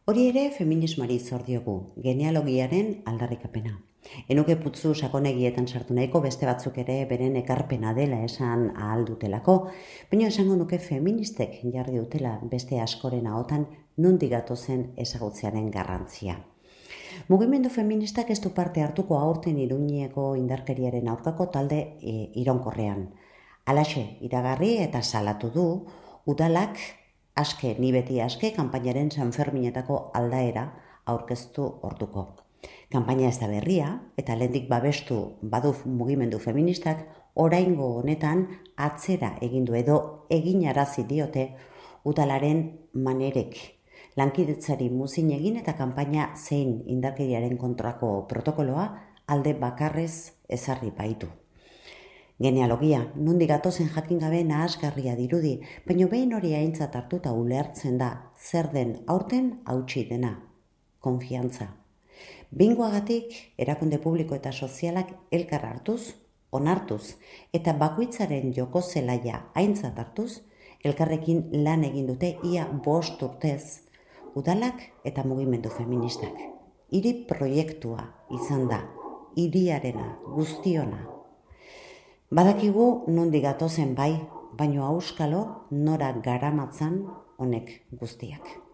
Hori ere feminismoari zor diogu, genealogiaren aldarrikapena. Enuke putzu sakonegietan sartu nahiko beste batzuk ere beren ekarpena dela esan ahal dutelako, baina esango nuke feministek jarri dutela beste askoren ahotan nondik gatozen ezagutzearen garrantzia. Mugimendu feministak ez du parte hartuko aurten Iruñeko indarkeriaren aurkako talde iraunkorrean. Halaxe iragarri eta salatu du udalak ni beti aske kanpainaren Sanferminetako aldaera aurkeztu orduko. Kanpaina ez da berria eta lehendik babestu badu mugimendu feministak oraingo honetan atzera egin du edo eginarazi diote udalaren manerek. Lankidetzari muzin egin eta kanpaina zein indarkeriaren kontrako protokoloa alde bakarrez ezarri baitu. Genealogia, nondik gatozen jakin gabe nahasgarria dirudi, baina behin hori aintzat hartuta ulertzen da zer den aurten hautsi dena, konfiantza. Behingoagatik, erakunde publiko eta sozialak elkar hartuz, onartuz, eta bakoitzaren joko zelaia aintzat hartuz, elkarrekin lan egin dute ia 5 urtez, udalak eta mugimendu feministak. Hiri proiektua izan da, hiriarena, guztiona. Badakigu nondik gatozen bai, baino auskalo nora garamatzan honek guztiak.